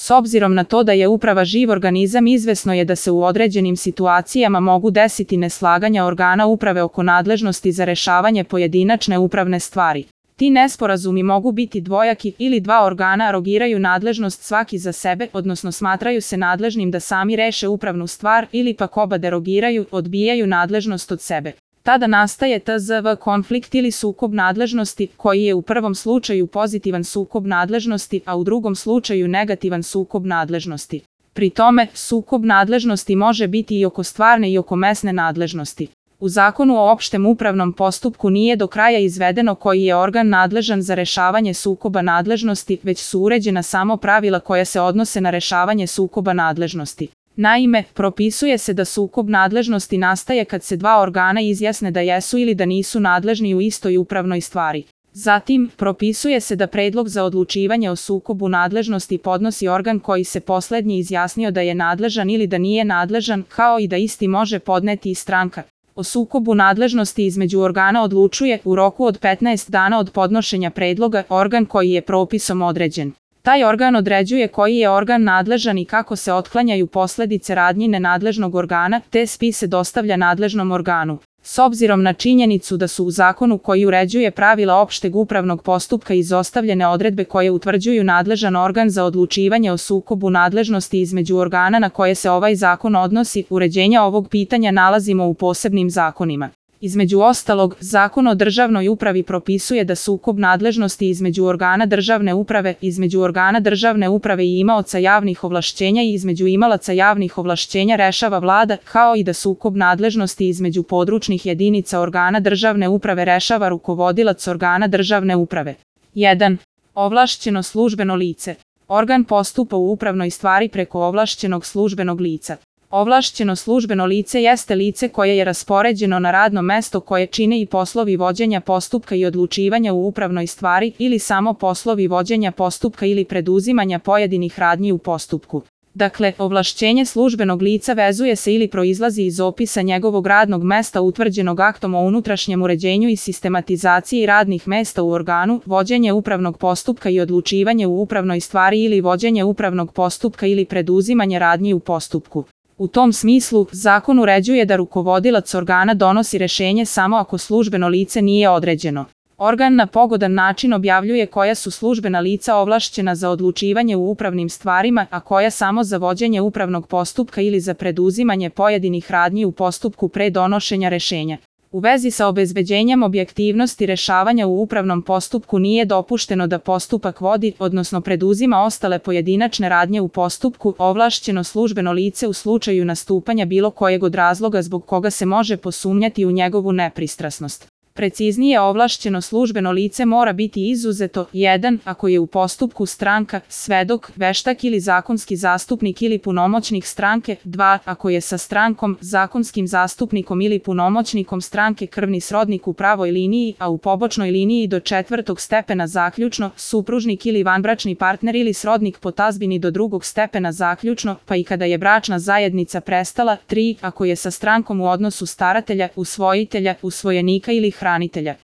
S obzirom na to da je uprava živ organizam, izvesno je da se u određenim situacijama mogu desiti neslaganja organa uprave oko nadležnosti za rešavanje pojedinačne upravne stvari. Ti nesporazumi mogu biti dvojaki ili dva organa rogiraju nadležnost svaki za sebe, odnosno smatraju se nadležnim da sami reše upravnu stvar, ili pak oba derogiraju, odbijaju nadležnost od sebe. Tada nastaje tzv. Konflikt ili sukob nadležnosti, koji je u prvom slučaju pozitivan sukob nadležnosti, a u drugom slučaju negativan sukob nadležnosti. Pri tome, sukob nadležnosti može biti i oko stvarne i oko mesne nadležnosti. U Zakonu o opštem upravnom postupku nije do kraja izvedeno koji je organ nadležan za rešavanje sukoba nadležnosti, već su uređena samo pravila koja se odnose na rešavanje sukoba nadležnosti. Naime, propisuje se da sukob nadležnosti nastaje kad se dva organa izjasne da jesu ili da nisu nadležni u istoj upravnoj stvari. Zatim, propisuje se da predlog za odlučivanje o sukobu nadležnosti podnosi organ koji se poslednji izjasnio da je nadležan ili da nije nadležan, kao i da isti može podneti i stranka. O sukobu nadležnosti između organa odlučuje, u roku od 15 dana od podnošenja predloga, organ koji je propisom određen. Taj organ određuje koji je organ nadležan i kako se otklanjaju posledice radnji nenadležnog organa, te spise dostavlja nadležnom organu. S obzirom na činjenicu da su u zakonu koji uređuje pravila opšteg upravnog postupka izostavljene odredbe koje utvrđuju nadležan organ za odlučivanje o sukobu nadležnosti između organa na koje se ovaj zakon odnosi, uređenja ovog pitanja nalazimo u posebnim zakonima. Između ostalog, Zakon o državnoj upravi propisuje da sukob nadležnosti između organa državne uprave i imaoca javnih ovlašćenja i između imalaca javnih ovlašćenja rešava Vlada, kao i da sukob nadležnosti između područnih jedinica organa državne uprave rešava rukovodilac organa državne uprave. 1. Ovlašćeno službeno lice. Organ postupa u upravnoj stvari preko ovlašćenog službenog lica. Ovlašćeno službeno lice jeste lice koje je raspoređeno na radno mesto koje čine i poslovi vođenja postupka i odlučivanja u upravnoj stvari ili samo poslovi vođenja postupka ili preduzimanja pojedinih radnji u postupku. Dakle, ovlašćenje službenog lica vezuje se ili proizlazi iz opisa njegovog radnog mesta utvrđenog aktom o unutrašnjem uređenju i sistematizaciji radnih mesta u organu, vođenje upravnog postupka i odlučivanje u upravnoj stvari ili vođenje upravnog postupka ili preduzimanje radnji u postupku. U tom smislu, zakon uređuje da rukovodilac organa donosi rešenje samo ako službeno lice nije određeno. Organ na pogodan način objavljuje koja su službena lica ovlašćena za odlučivanje u upravnim stvarima, a koja samo za vođenje upravnog postupka ili za preduzimanje pojedinih radnji u postupku pre donošenja rešenja. U vezi sa obezbeđenjem objektivnosti rešavanja u upravnom postupku nije dopušteno da postupak vodi, odnosno preduzima ostale pojedinačne radnje u postupku, ovlašćeno službeno lice u slučaju nastupanja bilo kojeg od razloga zbog koga se može posumnjati u njegovu nepristrasnost. Preciznije, ovlašćeno službeno lice mora biti izuzeto: 1. Ako je u postupku stranka, svedok, veštak ili zakonski zastupnik ili punomoćnik stranke; 2. Ako je sa strankom, zakonskim zastupnikom ili punomoćnikom stranke krvni srodnik u pravoj liniji, a u pobočnoj liniji do 4. stepena zaključno, supružnik ili vanbračni partner ili srodnik po tazbini do 2. stepena zaključno, pa i kada je bračna zajednica prestala; 3. Ako je sa strankom u odnosu staratelja, usvojitelja, usvojenika ili hranitelja.